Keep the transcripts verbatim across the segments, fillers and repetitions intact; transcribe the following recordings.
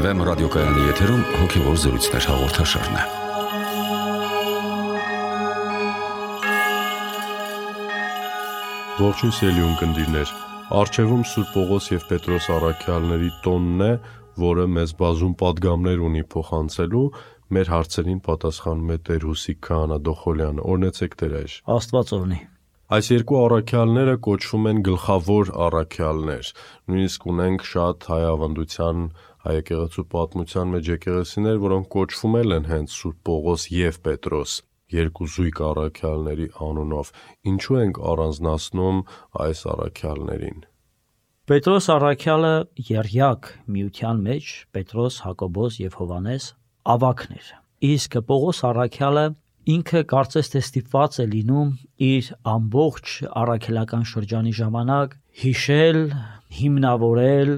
Վեմ ռադիոկայանի եթերում հոգևոր զրույցներ հաղորդաշարն է։ Ողջույն սիրելի ունկնդիրներ, առջևում Սուրբ Պողոս եւ Պետրոս առաքյալների տոնն է, որը մեզ բազում պատգամներ ունի փոխանցելու։ Մեր հարցերին պատասխանում է Տեր Հուսիկ Քահանա Դոխոլյանը։ Օրհնեցեք Տեր այր։ Աստված օրհնի։ Այս երկու առաքյալները կոչվում են գլխավոր առաքյալներ։ Նույնիսկ ունենք շատ հայ ավանդության, հայ եկեղեցու պատմության մեջ եկեղեցիներ, որոնք կոչվում են հենց Սուրբ Պողոս եւ Պետրոս, երկու զույգ առաքյալների անունով։ Ինչու ենք առանձնացնում այս առաքյալներին։ Պետրոս առաքյալը եռյակ միության մեջ Պետրոս, Հակոբոս եւ Հովանես ավագներ։ Իսկ Պողոս առաքյալը ինքը կարծես թե ստիպված է լինում իր ամբողջ առաքելական շրջանի ժամանակ հիշել, հիմնավորել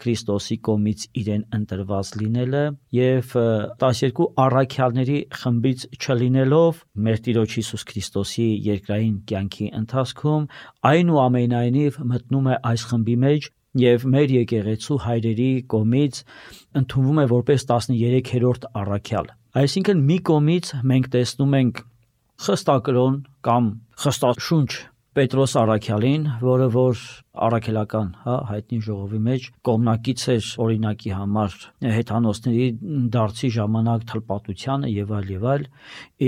Քրիստոսի կողմից իրեն ընտրված լինելը եւ տասներկու առաքյալների խմբից չլինելով մեր Տիրոջ Հիսուս Քրիստոսի երկրային կյանքի ընթացքում այնուամենայնիվ մտնում է այս խմբի մեջ եւ մեր եկեղեցու հայրերի կողմից ընդունվում է որպես տասներեքերորդ առաքյալ։ Այսինքն մի կողմից մենք տեսնում ենք խստակրոն կամ խստաշունչ Պետրոս առաքյալին, որը որ առաքելական, հա, հայտնի ժողովի մեջ կողմնակից էր օրինակի համար հեթանոսների դարձի ժամանակ թլպատությանը եւ այլ եւ այլ,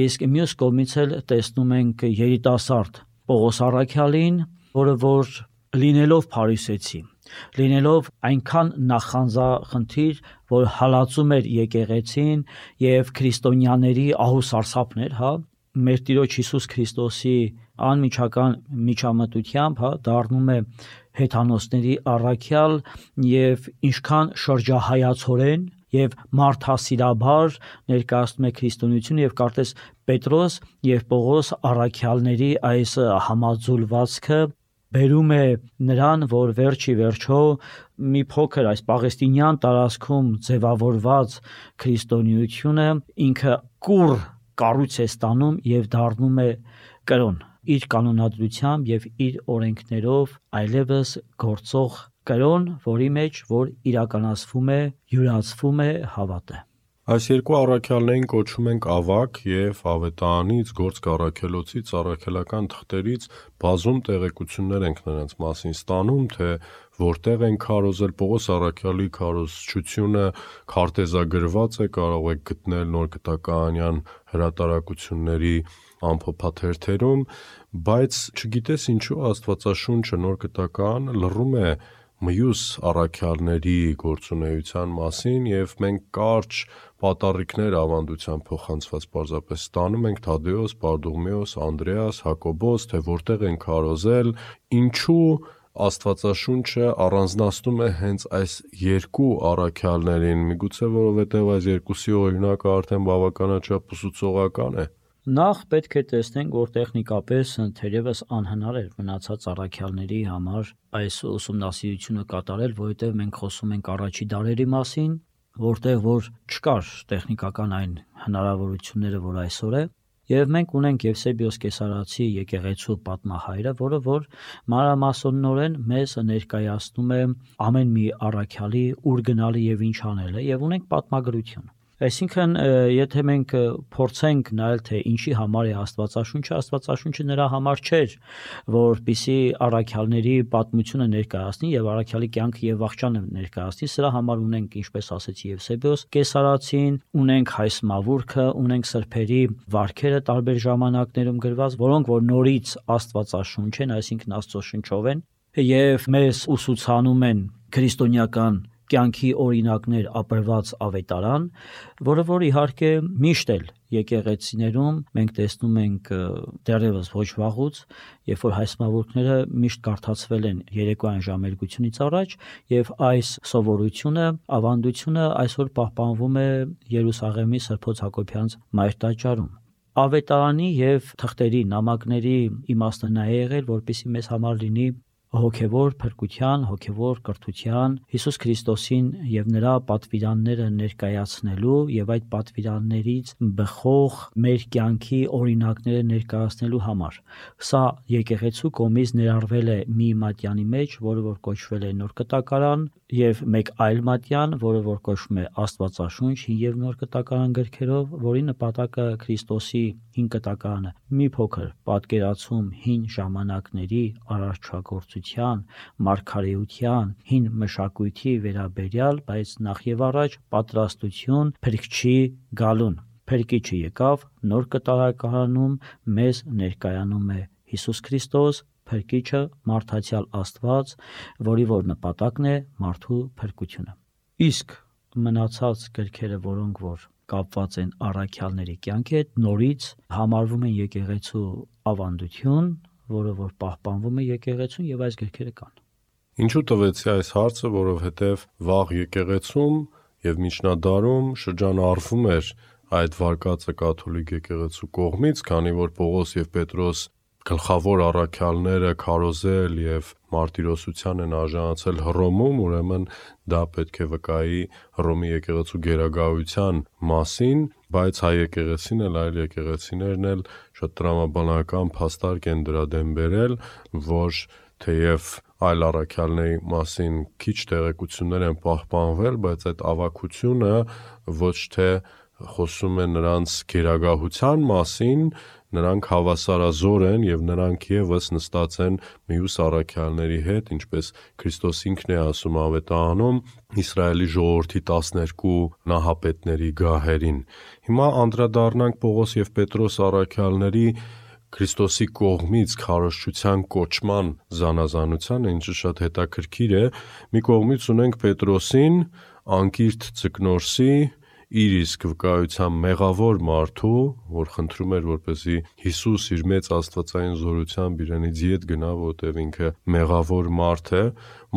իսկ մյուս կողմից էլ տեսնում ենք երիտասարդ Պողոս առաքյալին, որը որ լինելով փարիսեցի, լինելով այնքան նախանձախնդիր, որ հալածում էր եկեղեցին եւ քրիստոնյաների ահուսարսափներ, հա, մեր Տիրոջ Հիսուս Քրիստոսի անմիջական միջամտությամբ, հա, դառնում է հեթանոսների առաքյալ եւ ինչքան շրջահայացորեն եւ մարդասիրաբար ներկայացնում է քրիստոնեությունը եւ կարծես Պետրոս եւ Պողոս առաքյալների այս համաձուլվածքը բերում է նրան, որ վերջի վերջո մի փոքր այս պաղեստինյան տարածքում ձևավորված քրիստոնեությունը ինքը կուռ կառույց է ստանում եւ դառնում է կրոն իր կանոնադրությամբ եւ իր օրենքներով այլևս գործող կրոն, որի մեջ որ իրականացվում է, յուրացվում է հավատը։ Այս երկու առաքյալներին կոչում ենք ավագ եւ ավետարանից, գործք առաքելոցից, առաքելական թղթերից բազում տեղեկություններ ենք նրանց մասին ստանում, թե որտեղ են քարոզել։ Պողոս առաքյալի քարոզչությունը քարտեզագրված է, կարող եք գտնել Նոր Գտականյան հրատարակությունների ամփոփաթերթերում, բայց չգիտես ինչու Աստվածաշունչը Նոր Գտականը լռում է մյուս առաքյալների գործունեության մասին եւ մենք կարճ պատառիկներ ավանդության փոխանցված պարզապես ստանում ենք Թադեոս, Պարդուղմեոս, Անդրեաս, Հակոբոս, թե որտեղ են քարոզել, ինչու Աստվածաշունչը առանձնացնում է հենց այս երկու առաքյալներին, միգուցե որովհետեւ այս երկուսի օրինակը արդեն բավականաչափ ուսուցողական է։ Նախ պետք է տեսնենք, որ տեխնիկապես թերևս անհնար էր մնացած առաքյալների համար այս ուսումնասիրությունը կատարել, որովհետև մենք խոսում ենք առաջի դարերի մասին, որտեղ որ չկար տեխնիկական այն հնարավորությունները, որ այսօր է, եւ մենք ունենք Եվսեբիոս Կեսարացի եկեղեցու պատմահայրը, որը որ մանրամասնորեն մեզ ներկայացնում է ամեն մի առաքյալի ուր գնալը եւ ինչ անելը, եւ ունենք պատմագրություն։ Այսինքն, եթե մենք փորձենք նայել, թե ինչի համար է Աստվածաշունչը, Աստվածաշունչը նրա համար չէր, որպեսզի առաքյալների պատմությունը ներկայացնի եւ առաքյալի կյանքը եւ վախճանը ներկայացնի, սրա համար ունենք, ինչպես ասեցի, Եվսեբիոս Կեսարացին, ունենք Հայս Մավուրքը, ունենք սրբերի վարքերը տարբեր ժամանակներում գրված, որոնք որ նորից Աստվածաշունչ են, այսինքն Աստծոշնչով են եւ մեզ ուսուցանում են քրիստոնեական կյանքի օրինակներ ապրված ավետարան, որը որ իհարկե միշտ էլ եկեղեցիներում մենք տեսնում ենք դեռևս ոչ վաղուց, երբ որ հայ մավուրքները միշտ կարդացվել են երեկոյան ժամերգությունից առաջ, եւ այս սովորությունը, ավանդությունը այսօր պահպանվում է Երուսաղեմի Սրբոց Հակոբյանց մայր տաճարում։ Ավետարանի եւ թղթերի նամակների իմաստը նա է եղել, որպեսզի մեզ համար լինի հոգևոր փրկության, հոգևոր կրթության, Հիսուս Քրիստոսին եւ նրա պատվիրանները ներկայացնելու եւ այդ պատվիրաններից բխող մեր կյանքի օրինակները ներկայացնելու համար։ Սա եկեղեցու կողմից ներառվել է մի մատյանի մեջ, որը որ կոչվել է Նոր Կտակարան, եւ մեկ այլ մատյան, որը որ կոչվում է Աստվածաշունչ հին եւ Նոր Կտակարան գրքերով, որի նպատակը Քրիստոսի հին կտակարանը մի փոքր պատկերացում հին ժամանակների արարչագործության, մարգարեության, հին մշակույթի վերաբերյալ, բայց նախ եւ առաջ պատրաստություն Փրկչի գալուն։ Փրկիչը եկավ, Նոր Կտակարանում մեզ ներկայանում է Հիսուս Քրիստոս, Փրկիչը մարդացյալ Աստված, որի որ նպատակն է մարդու փրկությունը։ Իսկ մնացած գրքերը, որոնք որ կապված են առաքյալների կյանքի հետ, նորից համարվում են եկեղեցու ավանդություն, որը որ պահպանվում է եկեղեցուն եւ այս գրքերը կան։ Ինչու տվեցի այս հարցը, որովհետև վաղ եկեղեցում եւ միջնադարում շրջանառվում էր այդ վարկածը կաթոլիկ եկեղեցու կողմից, քանի որ Պողոս եւ Պետրոս գլխավոր առաքյալները քարոզել եւ մարտիրոսության են արժանացել Հռոմում, ուրեմն դա պետք է վկայի Հռոմի եկեղեցու գերագայության մասին, բայց հայ եկեղեցին էլ այլ եկեղեցիներն էլ շատ տրամաբանական փաստարկ են դրա դեմ բերել, որ թեև այլ առաքյալների մասին քիչ տեղեկություններ են պահպանվել, բայց այդ ավագությունը ոչ թե խոսում է նրանց գերագահության մասին, նրանք հավասարազոր են եւ նրանք եւս նստած են մյուս առաքյալների հետ, ինչպես Քրիստոս ինքն է ասում Ավետարանում Իսրայելի ժողովրդի տասներկու նահապետների գահերին։ Հիմա անդրադառնանք Պողոս եւ Պետրոս առաքյալների Քրիստոսի կողմից քարոզչության կոչման զանազանությանը, ինչը շատ հետաքրքիր է։ Մի կողմից ունենք Պետրոսին, անկիրթ Ձկնորսի, իր իսկ վկայության մեղավոր մարդու, որ խնդրում էր, որպեսզի Հիսուս իր մեծ աստվածային զորությամբ իրենից ետ գնա, որտեղ ինքը մեղավոր մարդ է,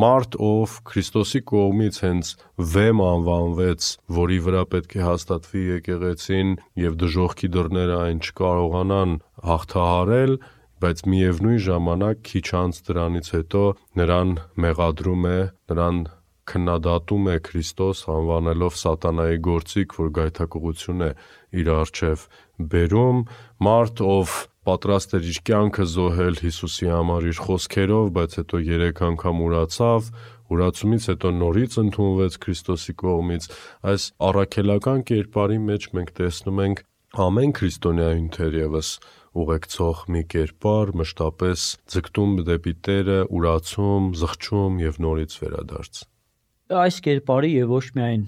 մարդ, ով Քրիստոսի կողմից հենց վեմ անվանվեց, որի վրա պետք է հաստատվի եկեղեցին եւ դժոխքի դռները այն չկարողանան հաղթահարել, բայց միևնույն ժամանակ քիչ անց դրանից հետո նրան մեղադրում է, նրան քննադատում է Քրիստոս, անվանելով սատանայի գործիք, որ գայթակղություն է իր առջև բերում, մարդ, ով պատրաստ էր իր կյանքը զոհել Հիսուսի համար իր խոսքերով, բայց հետո երեք անգամ ուրացավ, ուրացումից հետո նորից ընդունվեց Քրիստոսի կողմից։ Այս առաքելական կերպարի մեջ մենք տեսնում ենք ամեն քրիստոնյային թերևս ուղեկցող մի կերպար, մշտապես ձգտում դեպի Տերը, ուրացում, զղջում եւ նորից վերադարձ։ Այս կերպարի եւ ոչ միայն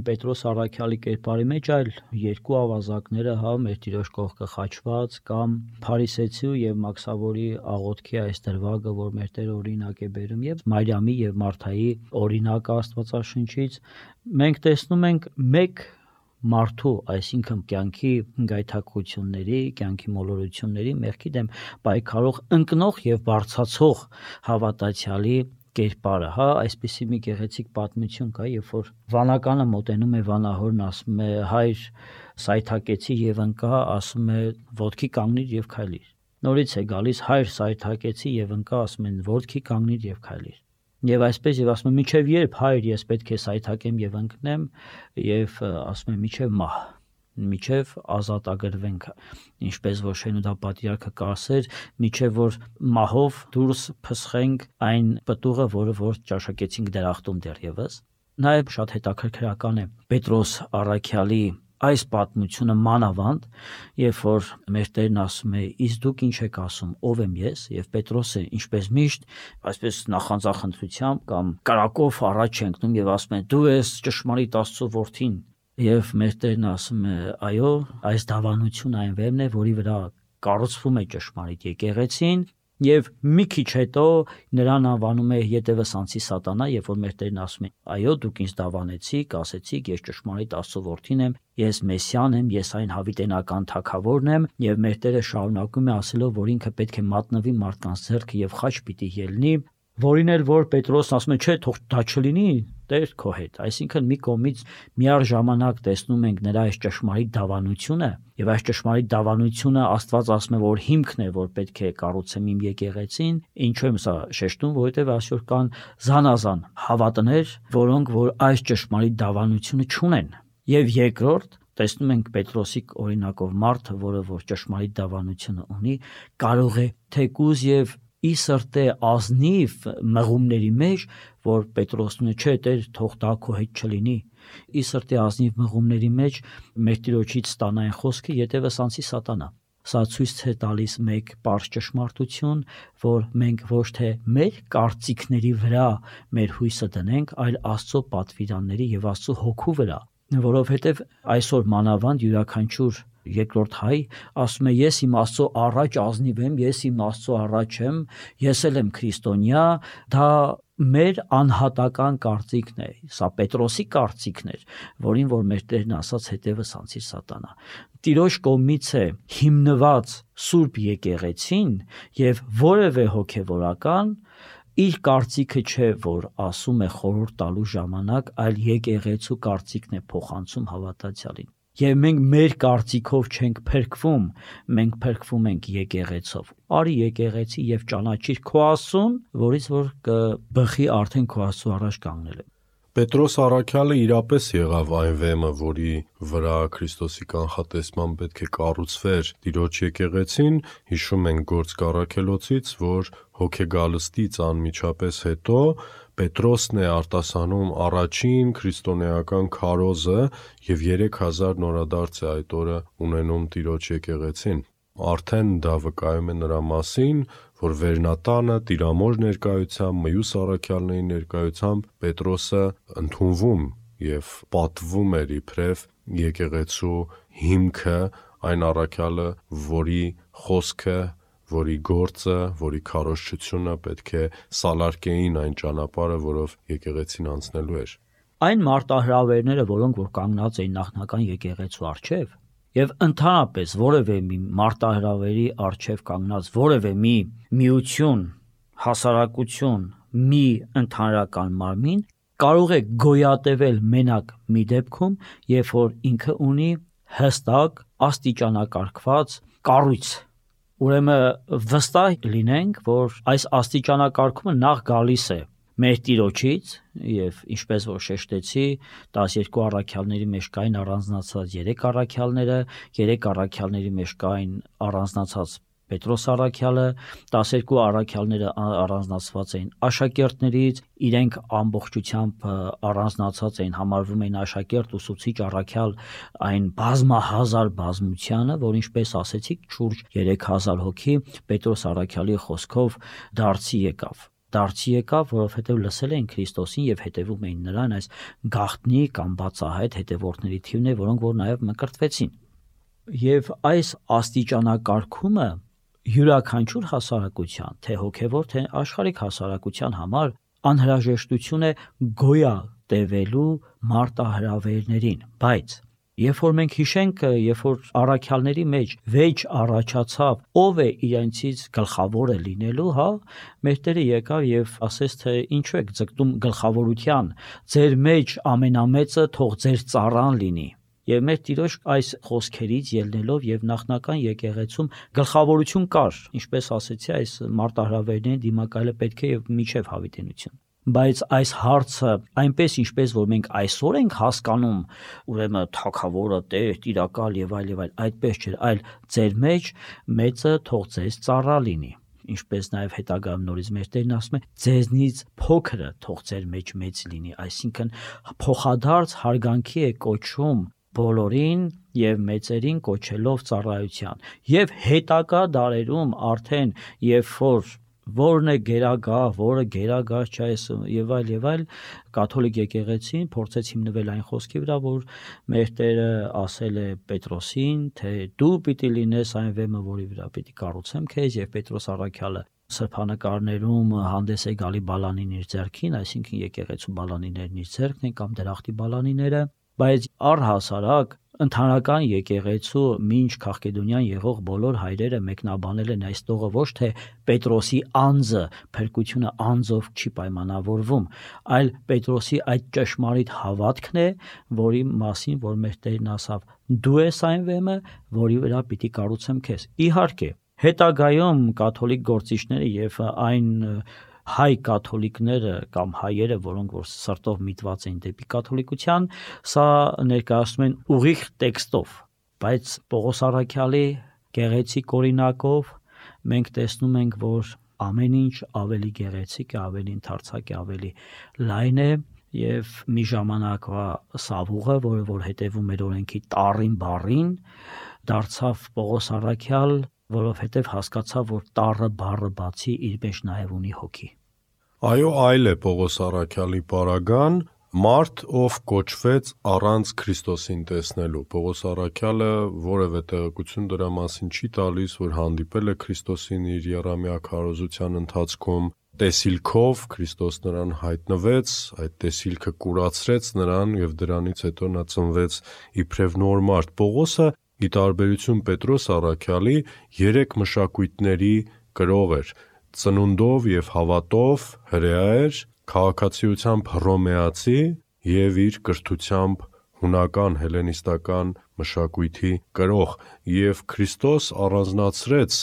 Պետրոս առաքյալի կերպարի մեջ, այլ երկու ավազակները, հա, մեր Տիրոջ կողքը խաչված կամ Փարիսեցու եւ Մաքսավորի աղոթքի այս դրվագը, որ մեր Տերը օրինակ է բերում, եւ Մարիամի եւ Մարթայի օրինակը Աստվածաշնչից, մենք տեսնում ենք մեկ մարդու, այսինքն կյանքի գայթակղությունների, կյանքի մոլորությունների մեղքի դեմ պայքարող ընկնող եւ բարձացող հավատացյալի կերպարը, հա, այսպիսի մի գեղեցիկ պատմություն կա, երբ որ վանականը մոտենում է վանահորն, ասում է հայր սայթակեցի եւ ընկա, ասում է ոտքի կանգնիր եւ քայլիր։ Նորից է գալիս հայր սայթակեցի եւ ընկա, ասում են ոտքի կանգնիր եւ քայլիր։ Եվ այսպես եւ ասում է միջև երբ հայր ես պետք է սայթակեմ եւ ընկնեմ, եւ ասում է միջև մահ, միջև ազատագրվենք, ինչպես որ Շենուդա պատրիարքը կասեր, միջև որ մահով դուրս փսխենք այն պտուղը, որը որ ճաշակեցինք դրախտում դեռևս։ Նաեւ շատ հետաքրքրական է Պետրոս առաքյալի այս պատմությունը մանավանդ, երբ որ մեր Տերն ասում է, իսկ դուք ինչ եք ասում, ով եմ ես, եւ Պետրոսը ինչպես միշտ, այսպես նախանձախնդրությամբ կամ կրակով առաջ ընկնում եւ ասում է, դու ես ճշմարիտ Աստծո որդին, եւ մեր Տերն ասում է, այո, այս դավանությունը այն վեմն է, որի վրա կառուցվում է ճշմարիտ եկեղեցին, եւ մի քիչ հետո նրան անվանում է ետևս անցի սատանա, երբ որ մեր Տերն ասում է, այո, դուք ինձ դավանեցիք, ասեցիք, ես ճշմարիտ Աստծո որդին եմ, ես Մեսիան եմ, ես այն հավիտենական թագավորն եմ, եւ մեր Տերը շարունակում է ասելով, որ ինքը պետք է մատնվի մարդկանց ձեռքը եւ խաչ պիտի ելնի, որին էլ որ Պետրոսն ասում է, չէ, թող դա չլինի, Տեր քո հետ։ Այսինքն մի կողմից միառժամանակ տեսնում ենք նրա այս ճշմարիտ դավանությունը, եւ այս ճշմարիտ դավանությունը Աստված ասում է, որ հիմքն է, որ պետք է կառուցեմ իմ եկեղեցին։ Ինչու եմ սա շեշտում, որովհետեւ այսօր կան զանազան հավատներ, որոնք որ այս ճշմարիտ դավանությունը չունեն։ Եվ երկրորդ տեսնում ենք Պետրոսի օրինակով մարդը, որը որ ճշմարիտ դավանությունը ունի, կարող է թեկուզ եւ ի սրտե ազնիվ մղումների մեջ, որ Պետրոսն չէ, Տեր, թող դա քո հետ չլինի։ Ի սրտե ազնիվ մղումների մեջ մեր Տիրոջից ստանա այն խոսքը, յետևս անցի սատանա։ Սա ցույց է տալիս մեկ պարզ ճշմարտություն, որ մենք ոչ թե մեր կարծիքների վրա մեր հույսը դնենք, այլ Աստծո պատվիրանների եւ Աստծո հոգու վրա, որովհետեւ այսօր մանավանդ յուրաքանչյուր երկրորդ հայ ասում է ես իմ Աստծո առաջ ազնիվ եմ, ես իմ Աստծո առաջ եմ, ես էլ եմ քրիստոնյա, դա մեր անհատական կարծիքն է, սա Պետրոսի կարծիքն էր, որին որ մեր Տերն ասաց հետևս անցիր սատանա։ Տիրոջ կողմից է հիմնված Սուրբ եկեղեցին եւ որևէ հոգեվորական իր կարծիքը չէ, որ ասում է խորհուրդ տալու ժամանակ, այլ եկեղեցու կարծիքն է փոխանցում հավատացյալին։ Եվ մենք մեր կարծիքով չենք փրկվում, մենք փրկվում ենք եկեղեցով։ Արի եկեղեցի եւ ճանաչիր քո Աստծուն, որից որ կբխի արդեն քո Աստծո առաջ կանգնել։ Պետրոս առաքյալը իրապես եղավ այն վեմը, որի վրա Քրիստոսի կանխատեսման պետք է կառուցվեր Տիրոջ եկեղեցին, հիշում ենք Գործք առաքելոցից, որ հոգեգալստից անմիջապես հետո Պետրոսն է արտասանում առաջին քրիստոնեական քարոզը եւ երեք հազար նորադարձ է այդ օրը ունենում Տիրոջ եկեղեցին։ Արդեն դա վկայում է նրա մասին, որ վերնատանը Տիրամոր ներկայությամբ, մյուս առաքյալների ներկայությամբ Պետրոսը ընդունվում եւ պատվում էր իբրև եկեղեցու հիմքը, այն առաքյալը, որի խոսքը, որի գործը, որի քարոզչությունը պետք է սալարկեին այն ճանապարհը, որով եկեղեցին անցնելու էր։ Այն մարտահրավերները, որոնք որ կանգնած էին նախնական եկեղեցու առջև, եւ ընդհանրապես որևէ մի մարտահրավերի առջև կանգնած որևէ մի միություն, հասարակություն, մի ընդհանրական մարմին կարող է գոյատևել մենակ մի դեպքում, երբ որ ինքը ունի հստակ աստիճանակարգված կառույց։ Ուրեմն վստահ լինենք, որ այս աստիճանակարգումը նախ գալիս է մեր Տիրոջից եւ ինչպես որ շեշտեցի, տասներկու առաքյալների մեջ կային առանձնացած երեք առաքյալները, երեք առաքյալների մեջ կային առանձնացած Պետրոս առաքյալը, տասներկու առաքյալները առանձնացված էին աշակերտներից, իրենք ամբողջությամբ առանձնացած էին, համարվում էին աշակերտ, ուսուցիչ, առաքյալ այն բազմահազար բազմությանը, որ ինչպես ասեցիք, շուրջ երեք հազար հոգի Պետրոս առաքյալի խոսքով դարձի եկավ։ Դարձի եկավ, որովհետև լսել էին Քրիստոսին եւ հետևում էին նրան, այս գաղտնի կամ բացահայտ հետևորդների թիվն է, որոնք որ նաեւ մկրտվեցին։ Եվ այս աստիճանակարգումը յուրաքանչյուր հասարակության, թե հոգևոր, թե աշխարհիկ հասարակության համար անհրաժեշտություն է գոյատևելու մարտահրավերներին, բայց երբ որ մենք հիշենք, երբ որ առաքյալների մեջ վեճ առաջացավ, ով է իրենցից գլխավորը լինելու, հա, մեր Տերը եկավ եւ ասեց, թե ինչու եք ձգտում գլխավորության, ձեր մեջ ամենամեծը թող ձեր ծառան լինի։ Եվ մեր Տիրոջ այս խոսքերից ելնելով եւ նախնական եկեղեցում գլխավորություն կար, ինչպես ասեցի, այս մարտահրավերներին դիմակայելը պետք է եւ միջև հավիտենություն։ Բայց այս հարցը այնպես ինչպես որ մենք այսօր ենք հասկանում, ուրեմն թագավորը Տեր, տիրակալ եւ այլ եւ այլ, այդպես չէ, այլ ձեր մեջ մեծը թող ձեզ ծառա լինի, ինչպես նաեւ հետագայում նորից մեր Տերն ասում է, ձեզնից փոքրը թող ձեր մեջ մեծ լինի, այսինքն փոխադարձ հարգանքի է կոչում բոլորին եւ մեծերին կոչելով ծառայության։ Եվ հետագա դարերում արդեն երբ որ որն է գերագա, որը գերագա չէ եւ այլ եւ այլ, կաթոլիկ եկեղեցին փորձեց հիմնվել այն խոսքի վրա, որ մեր Տերը ասել է Պետրոսին, թե դու պիտի լինես այն վեմը, որի վրա պիտի կառուցեմ քեզ, եւ Պետրոս առաքյալը սրբանկարներում հանդես է գալի բալանին իր ձեռքին, այսինքն եկեղեցու բալանիներն իր ձեռքն են կամ դրախտի բալանիները, բայց առհասարակ Ընդհանրական եկեղեցու մինչ Քաղկեդոնյան եղող բոլոր հայրերը մեկնաբանել են այս տողը ոչ թե Պետրոսի անձը, փրկությունը անձով չի պայմանավորվում, այլ Պետրոսի այդ ճշմարիտ հավատքն է, որի մասին որ մեր Տերն ասավ. դու ես այն վեմը, որի վրա պիտի կառուցեմ քեզ։ Իհարկե, հետագայում կաթոլիկ գործիչները եւ այն հայ կաթոլիկները կամ հայերը, որոնք որ սրտով միտված էին դեպի կաթոլիկության, սա ներկայացնում են ուղիղ տեքստով, բայց Պողոս Առաքյալի գեղեցիկ օրինակով մենք տեսնում ենք, որ ամեն ինչ ավելի գեղեցիկ է, ավելի ընդարձակ է, ավելի լայն է եւ մի ժամանակվա Սավուղը, որը որ հետևում էր օրենքի տառին բառին, դարձավ Պողոս Առաքյալ, որովհետև հասկացավ, որ տառը բառը բացի իր մեջ նաև ունի հոգի։ Այո, այլ է Պողոս Առաքյալի պարագան, մարդ, ով կոչվեց առանց Քրիստոսին տեսնելու։ Պողոս Առաքյալը որևէ տեղեկություն դրա մասին չի տալիս, որ հանդիպել է Քրիստոսին իր եռամյա քարոզության ընթացքում, տեսիլքով Քրիստոս նրան հայտնվեց, այդ տեսիլքը կուրացրեց նրան եւ դրանից հետո նա ծնվեց իբրև նոր մարդ։ Պողոսը ի տարբերություն Պետրոս Առաքյալի երեք մշակույթների կրող էր, ծնունդով եւ հավատով հրեա էր, քաղաքացիությամբ հռոմեացի եւ իր կրթությամբ հունական հելենիստական մշակույթի կրող, եւ Քրիստոս առանձնացրեց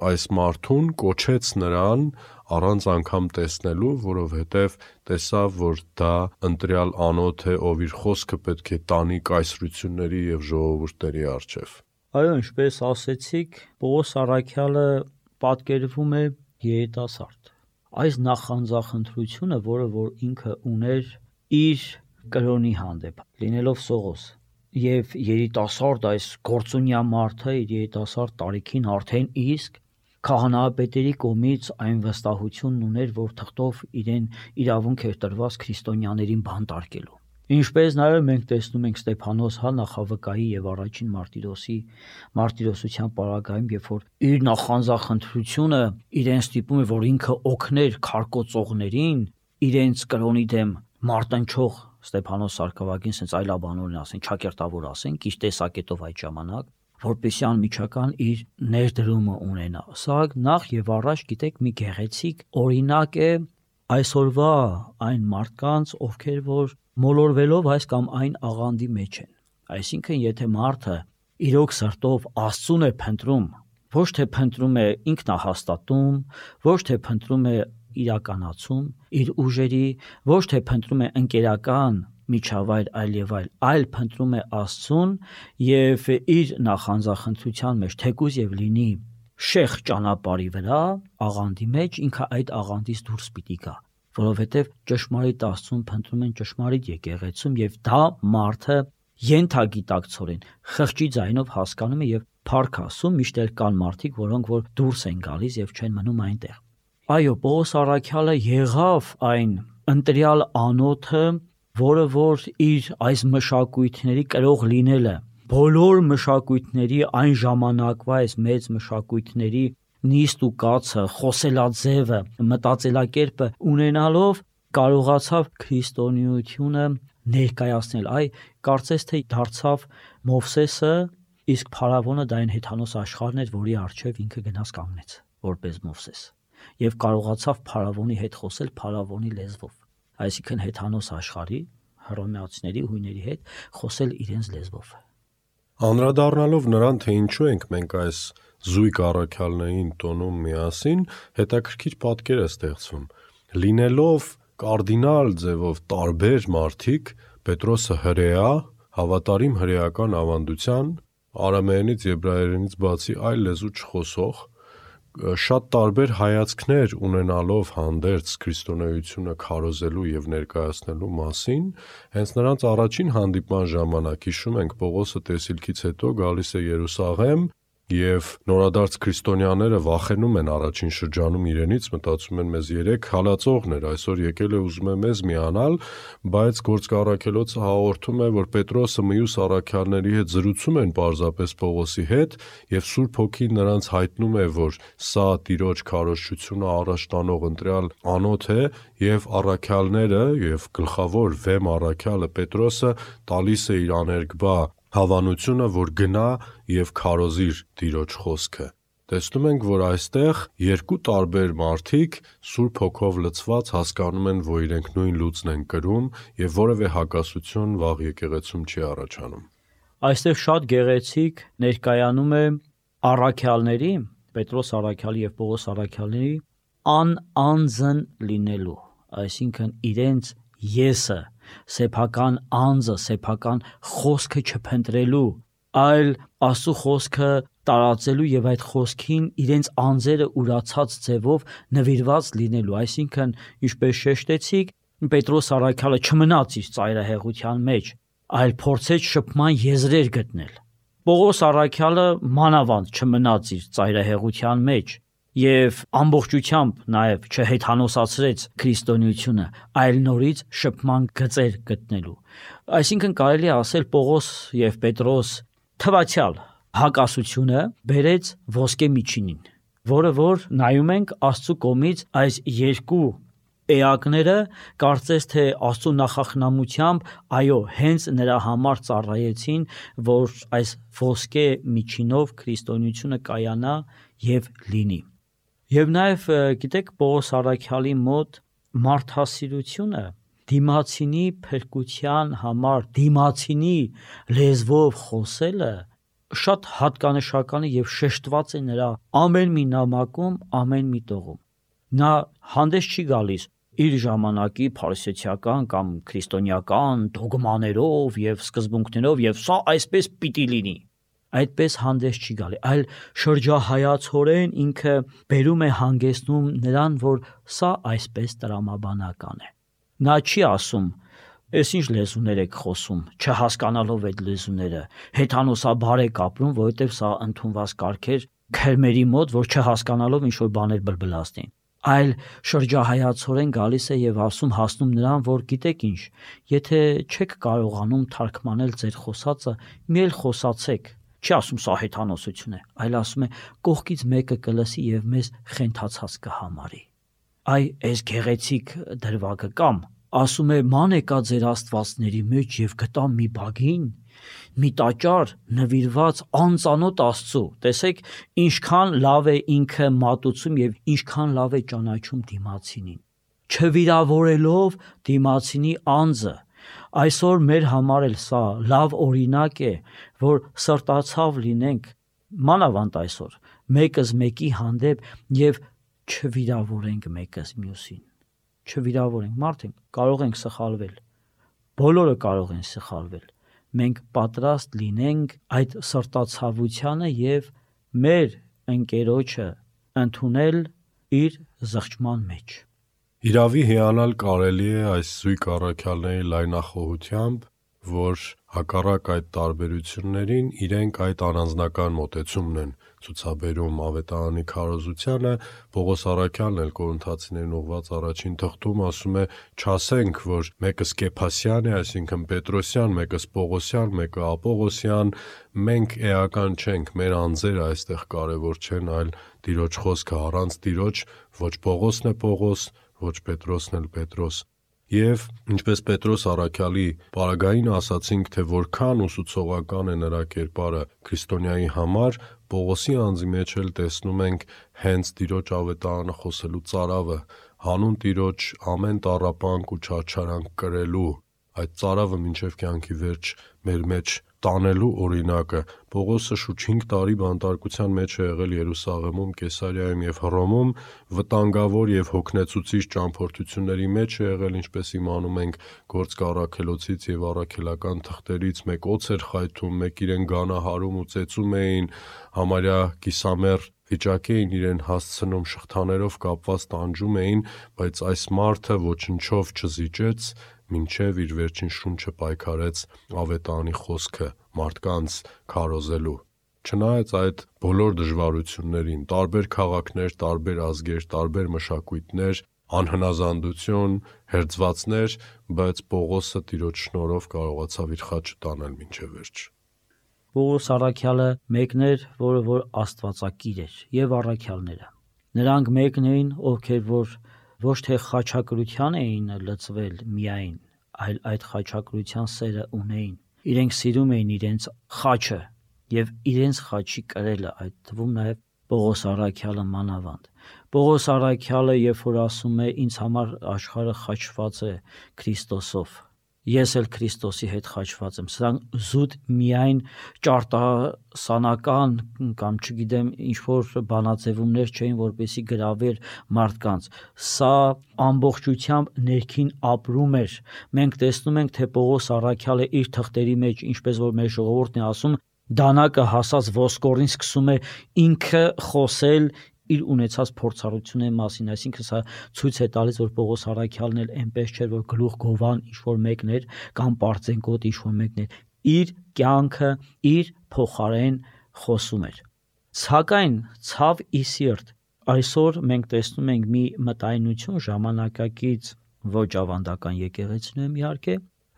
այս մարդուն, կոչեց նրան առանց անգամ տեսնելու, որովհետև տեսավ, որ դա ընտրյալ անոթ է, ով իր խոսքը պետք է տանի կայսրությունների եւ ժողովուրդների առջև։ Այո, ինչպես ասեցիք, Պողոս Առաքյալը պատկերվում է երիտասարդ։ Այս նախանձախնդրությունը, որը որ ինքը ուներ իր կրոնի հանդեպ, լինելով Սողոս, եւ երիտասարդ այս գործունյա մարդը իր երիտասարդ տարիքին արդեն իսկ քահանայապետերի կողմից այն վստահությունն ուներ, որ թղթով իրեն իրավունք էր տրված քրիստոնյաներին բանտարկելու։ Ինչպես նաև մենք տեսնում ենք Ստեփանոս հա նախավկայի եւ առաջին Մարտիրոսի մարտիրոսության պարագայում, երբ որ իր նախանձախնդրությունը իրեն ստիպում է, որ ինքը օգներ քարկոծողներին, իրենց կրոնի դեմ մարտնչող Ստեփանոս Սարգսակին, sense այլաբանորեն ասեն, ճակերտավոր ասեն, քիչ տեսակետով այդ ժամանակ, որպեսզի անմիջական իր ներդրումը ունենա։ Սա նախ եւ առաջ գիտեք մի գեղեցիկ օրինակ է այսօրվա այն մարդկանց, ովքեր որ մոլորվելով այս կամ այն աղանդի մեջ են։ Այսինքն, եթե մարդը իրոք սրտով Աստծուն է փնտրում, ոչ թե փնտրում է ինքնահաստատում, ոչ թե փնտրում է իրականացում իր ուժերի, ոչ թե փնտրում է ընկերական միջավայր այլ եւ այլ, այլ փնտրում է Աստծուն եւ իր նախանձախնդրության մեջ թեկուզ եւ լինի շեղ ճանապարհի վրա, աղանդի մեջ ինքը այդ աղանդից դուրս պիտի գա, որովհետեւ ճշմարիտ Աստծուն փնտրում են ճշմարիտ եկեղեցում եւ դա մարդը ենթագիտակցորեն խղճի ձայնով հասկանում է եւ փառք Աստծուն, միշտ էլ կան մարդիկ, որոնք որ դուրս են գալիս եւ չեն մնում այնտեղ։ Այո, Պողոս Առաքյալը եղավ այն ընտրյալ անոթը, որը որ իր այս մշակույթների կրող լինելը, բոլոր մշակույթների այն ժամանակվա այս մեծ մշակույթների նիստ ու կացը, խոսելաձևը, մտածելակերպը ունենալով կարողացավ քրիստոնեությունը ներկայացնել։ Այ կարծես թե դարձավ Մովսեսը, իսկ փարավոնը դա այն հեթանոս աշխարհն էր, որի առջև ինքը գնաց կանգնեց, որպես Մովսես, եւ կարողացավ փարավոնի հետ խոսել փարավոնի լեզվով, այսինքն հեթանոս աշխարհի հռոմեացիների հույների հետ խոսել իրենց լեզվով։ Անդրադառնալով նրան, թե ինչու ենք մենք այս զույգ առաքյալներին տոնում միասին, հետաքրքիր պատկեր է ստեղծվում։ Լինելով կարդինալ ձևով տարբեր մարդիկ, Պետրոսը հրեա, հավատարիմ հրեական ավանդության, արամեենից, եբրայերենից բացի այլ լեզու չխոսող, շատ տարբեր հայացքներ ունենալով հանդերձ քրիստոնեությունը քարոզելու եւ ներկայացնելու մասին, հենց նրանց առաջին հանդիպման ժամանակ հիշում ենք Պողոսը տեսիլքից հետո գալիս է Երուսաղեմ եւ նորադարձ քրիստոնյաները վախենում են առաջին շրջանում իրենից, մտածում են մեզ երեք հալածողներ, այսօր եկել է ուզում է մեզ միանալ, բայց Գործք առաքելոցը հաղորդում է, որ Պետրոսը մյուս առաքյալների հետ զրուցում են պարզապես Պողոսի հետ եւ Սուրբ Հոգին նրանց հայտնում է, որ սա Տիրոջ քարոզչությունը առաջ տանող ընտրյալ անոթ է եւ առաքյալները եւ գլխավոր վեմ առաքյալը Պետրոսը տալիս է իր աներկբա հավանությունը, որ գնա եւ քարոզիր Տիրոջ խոսքը։ Տեսնում ենք, որ այստեղ երկու տարբեր մարդիկ Սուրբ Հոգով լցված հասկանում են, որ իրենք նույն լուծն են կրում եւ որևէ հակասություն վաղ եկեղեցում չի առաջանում։ Այստեղ շատ գեղեցիկ ներկայանում է առաքյալների, Պետրոս առաքյալի եւ Պողոս առաքյալների անանձն լինելու, այսինքն իրենց եսը, սեփական անձը, սեփական խոսքը չփնտրելու, այլ Աստծո խոսքը տարածելու եւ այդ խոսքին իրենց անձերը ուրացած ձևով նվիրված լինելու, այսինքն ինչպես շեշտեցիք, Պետրոս առաքյալը չմնաց իր ծայրահեղության մեջ, այլ փորձեց շփման եզրեր գտնել։ Պողոս առաքյալը մանավանդ չմնաց իր ծայրահեղության մեջ եւ ամբողջությամբ նաեւ չհեթանոսացրեց քրիստոնեությունը, այլ նորից շփման գծեր գտնելու։ Այսինքն կարելի է ասել Պողոս եւ Պետրոս թվացյալ հակասությունը բերեց ոսկե միջինին, որը որ նայում ենք Աստծո կողմից այս երկու էակները կարծես թե Աստծո նախախնամությամբ, այո, հենց նրա համար ծառայեցին, որ այս ոսկե միջինով քրիստոնեությունը կայանա եւ լինի։ Եվ նաեւ գիտեք Պողոս առաքյալի մոտ մարդասիրությունը դիմացինի փրկության համար դիմացինի լեզվով խոսելը շատ հատկանշական է եւ շեշտված է նրա ամեն մի նամակում, ամեն մի տողում։ Նա հանդես չի գալիս իր ժամանակի փարիսեցիական կամ քրիստոնեական դոգմաներով եւ սկզբունքներով եւ սա այսպես պիտի լինի։ Այդպես հանդես չի գալի, այլ շրջահայացորեն ինքը բերում է հանգեցնում նրան, որ սա այսպես տրամաբանական է։ Նա չի ասում, «Էս ինչ լեզուներ եք խոսում», չհասկանալով այդ լեզուները, հեթանոսաբար եք ապրում, որովհետև սա ընդունված կարգեր քրմերի մոտ, որ չհասկանալով ինչ որ բաներ բլբլացնեն։ Այլ շրջահայացորեն գալիս է եւ ասում հասնում նրան, որ գիտեք ինչ, եթե չեք կարողանում թարգմանել ձեր խոսածը, մի էլ խոսացեք։ Չի ասում սա հեթանոսություն է, այլ ասում է կողքից մեկը կլսի եւ մեզ խենթացած կհամարի։ Այ այս գեղեցիկ դրվագը կամ ասում է ման եկա ձեր աստվածների մեջ եւ գտա մի բագին, մի տաճար նվիրված անծանոթ Աստծո։ Տեսեք ինչքան լավ է ինքը մատուցում եւ ինչքան լավ է ճանաչում դիմացինին, չվիրավորելով դիմացինի անձը։ Այսօր մեր համար էլ սա լավ օրինակ է, որ սրտացավ լինենք մանավանդ այսօր մեկս մեկի հանդեպ եւ չվիրավորենք մեկս մյուսին։ Չվիրավորենք, մարդենք կարող ենք սխալվել, բոլորը կարող են սխալվել, մենք պատրաստ լինենք այդ սրտացավությանը եւ մեր ընկերոջը ընդունել իր զղջման մեջ։ Իրավի հիանալ կարելի է այս զույգ առաքյալների լայնախոհությամբ, որ հակառակ այդ տարբերություններին իրենք այդ առանձնական մոտեցումն են ցուցաբերում ավետարանի քարոզությանը։ Պողոս առաքյալն էլ Կորինթացիներին ուղված առաջին թղթում ասում է. «Չասենք, որ մեկը Սկեփասյան է, այսինքն Պետրոսյան, մեկը Պողոսյան, մեկը Ապողոսյան, մենք էական չենք, մեր անձերը այստեղ կարևոր չեն, այլ Տիրոջ խոսքը, առանց Տիրոջ ոչ Պողոսն է Պողոս, ոչ Պետրոսն էլ Պետրոս»։ Եվ ինչպես Պետրոս առաքյալի պարագային ասացինք, թե որքան ուսուցողական է նրա կերպարը քրիստոնյայի համար, Պողոսի անձի մեջ էլ տեսնում ենք հենց Տիրոջ ավետարանը խոսելու ծարավը, հանուն Տիրոջ ամեն տառապանք ու չարչարանք կրելու, այդ ծարավը մինչև կյանքի վերջ մեր մեջ տանելու օրինակը։ Պողոսը շուրջ հինգ տարի բանտարկության մեջ է եղել Երուսաղեմում, Կեսարիայում եւ Հռոմում, վտանգավոր եւ հոգնեցուցիչ ճամփորդությունների մեջ է եղել, ինչպես իմանում ենք Գործք առաքելոցից եւ առաքելական թղթերից, մեկ օձ էր խայթում, մեկ իրեն գանահարում ու ծեծում էին, համարյա կիսամեռ վիճակի էին իրեն հասցնում, շղթաներով կապված տանջում էին, բայց այս մարդը ոչնչով չզիջեց, մինչև իր վերջին շունչը պայքարեց ավետարանի խոսքը մարդկանց քարոզելու։ Չնայած այդ բոլոր դժվարություններին, տարբեր քաղաքներ, տարբեր ազգեր, տարբեր մշակույթներ, անհնազանդություն, հերձվածներ, բայց Պողոսը Տիրոջ շնորհով կարողացավ իր խաչը տանել մինչև վերջ։ Պողոս առաքյալը մեկն էր, որը որ աստվածակիր էր, եւ առաքյալները։ Նրանք մեկն էին, ովքեր որ ոչ թե խաչակրության էին լծվել միայն, այլ այդ խաչակրության սերը ունեին իրենք սիրում էին իրենց խաչը եւ իրենց խաչի կրելը, այդ թվում նաեւ Պողոս Առաքյալը մանավանդ։ Պողոս Առաքյալը երբ որ ասում է ինձ համար աշխարհը խաչված է Քրիստոսով, ես էլ Քրիստոսի հետ խաչված եմ, սրանք զուտ միայն ճարտասանական կամ չգիտեմ ինչ որ բանաձևումներ չէին, որպեսզի գրավեր մարդկանց, սա ամբողջությամբ ներքին ապրում էր։ Մենք տեսնում ենք, թե Պողոս Առաքյալը իր թղթերի մեջ, ինչպես որ մեր ժողովուրդն է ասում, դանակը հասած ոսկորին սկսում է ինքը խոսել իր ունեցած փորձառությունների մասին, այսինքն սա ցույց է տալիս, որ Պողոս Առաքյալն էլ այնպես չէր, որ գլուխ գովան ինչ որ մեկն էր կամ պարծենկոտ ինչ որ մեկն էր, իր կյանքը իր փոխարեն խոսում էր։ Սակայն ցավ ի սիրտ, այսօր մենք տեսնում ենք մի մտայնություն ժամանակակից, ոչ ավանդական եկեղեցիներում իհարկե,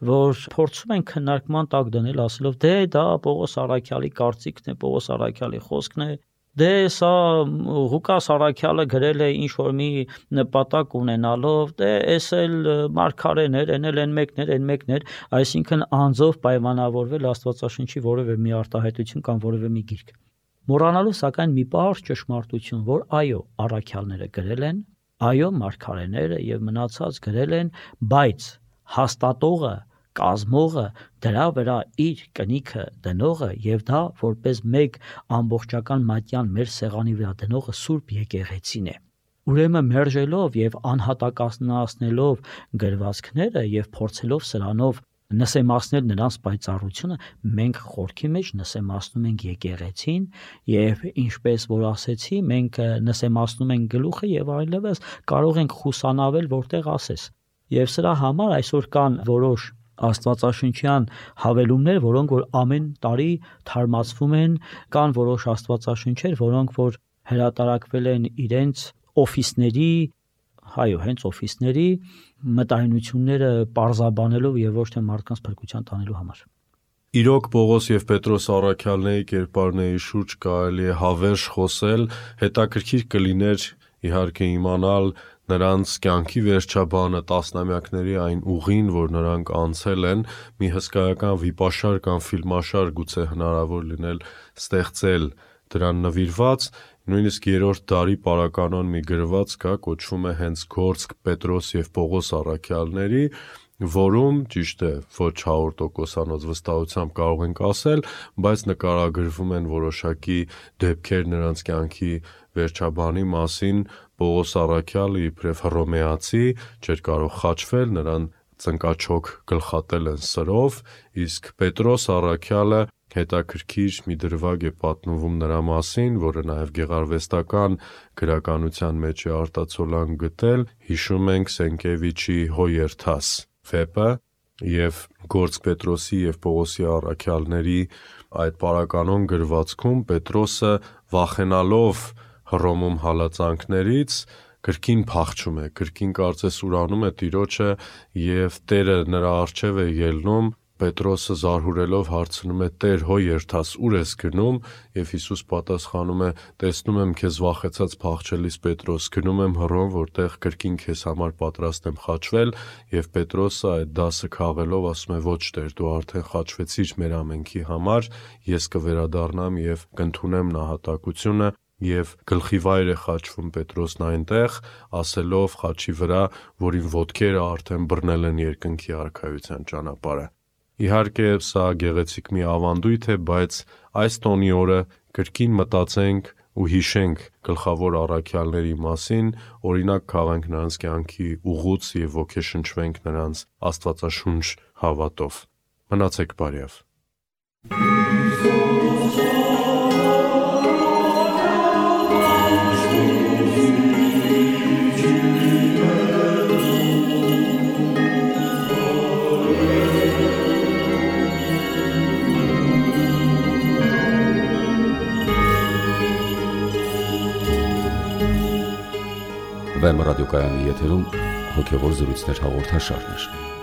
որ փորձում են քննարկման տակ դնել, ասելով դե դա Պողոս Առաքյալի կարծիքն է, Պողոս Առաքյալի խոսքն է, դե սա Ղուկաս Առաքյալը գրել է ինչ որ մի նպատակ ունենալով, դե էս էլ մարգարեներ, են էլ են մեկներ, են մեկներ, այսինքն անձով պայմանավորվել Աստվածաշնչի որևէ մի արտահայտություն կամ որևէ մի գիրք։ Մոռանալով սակայն մի պարզ ճշմարտություն, որ այո, առաքյալները գրել են, այո, մարգարեները եւ մնացած գրել են, բայց հաստատողը, կազմողը, դրա վրա իր կնիքը դնողը եւ դա որպես մեկ ամբողջական մատյան մեր սեղանի վրա դնողը Սուրբ Եկեղեցին է։ Ուրեմն մերժելով եւ անհատակացնելով գրվածքները եւ փորձելով սրանով նսեմացնել նրանց պայծառությունը, մենք խորքի մեջ նսեմացնում ենք եկեղեցին եւ ինչպես որ ասեցի, մենք նսեմացնում ենք գլուխը եւ այլևս կարող ենք խուսանավել որտեղ ասես։ Եվ սրա համար այսօր կան որոշ աստվածաշնչյան հավելումներ, որոնք որ ամեն տարի թարմացվում են, կան որոշ աստվածաշնչեր, որոնք որ հրատարակվել են իրենց օֆիսների, հայո, հենց օֆիսների մտայնությունները պարզաբանելով եւ ոչ թե մարդկանց փրկության տանելու համար։ Իրոք Պողոս եւ Պետրոս Առաքյալների կերպարների շուրջ կարելի է հավերժ խոսել, հետաքրքիր կլիներ իհարկե իմանալ նրանց կյանքի վերջաբանը, տասնամյակների այն ուղին, որ նրանք անցել են, մի հսկայական վիպաշար կամ ֆիլմաշար գուցե հնարավոր լինել ստեղծել դրան նվիրված, նույնիսկ երրորդ դարի պարականոն մի գրված կա, կոչվում է հենց Գործք Պետրոս եւ Պողոս Առաքյալների, որում ճիշտ է ոչ հարյուր տոկոսանոց վստահությամբ կարող ենք ասել, բայց նկարագրվում են որոշակի դեպքեր նրանց կյանքի վերջաբանի մասին։ Պողոս Առաքյալը իբրև հռոմեացի չէր կարող խաչվել, նրան ծնկաչոք գլխատել են սրով, իսկ Պետրոս Առաքյալը հետաքրքիր մի դրվագ է պատմվում նրա մասին, որը նաև գեղարվեստական գրականության մեջ է արտացոլան գտել, հիշում ենք Սենկևիչի Հոյերթաս վեպը եւ Գործք Պետրոսի եւ Պողոսի Առաքյալների այդ պարականոն գրվածքում Պետրոսը վախենալով Հռոմում հալածանքներից կրկին փախչում է, կրկին կարծես ուրանում է Տիրոջը եւ Տերը նրա առջև է ելնում, Պետրոսը զարհուրելով հարցնում է Տեր Հոյերթաս ուր ես գնում եւ Հիսուս պատասխանում է տեսնում եմ քեզ վախեցած փախչելիս Պետրոս, գնում եմ Հռոմ, որտեղ կրկին քեզ համար պատրաստ եմ խաչվել եւ Պետրոսը այդ դասը քաղելով ասում է ոչ Տեր, դու արդեն խաչվեցիր մեր ամենքի համար, ես կվերադառնամ եւ կընդունեմ նահատակությունը եւ գլխի վայր է խաչվում Պետրոսն այնտեղ, ասելով խաչի վրա, որ իմ ոտքերը արդեն բռնել են երկնքի արքայության ճանապարհը։ Իհարկե սա գեղեցիկ մի ավանդույթ է, բայց այս տոնի օրը կրկին մտածենք ու հիշենք գլխավոր առաքյալների մասին, օրինակ քաղենք նրանց կյանքի ուղուց եւ ոգեշնչվենք նրանց Աստվածաշունչ հավատով։ Մնացեք բարյավ։ Վեմ ռադիոկայանի եթերում հոգևոր զրույցներ հաղորդաշարներ։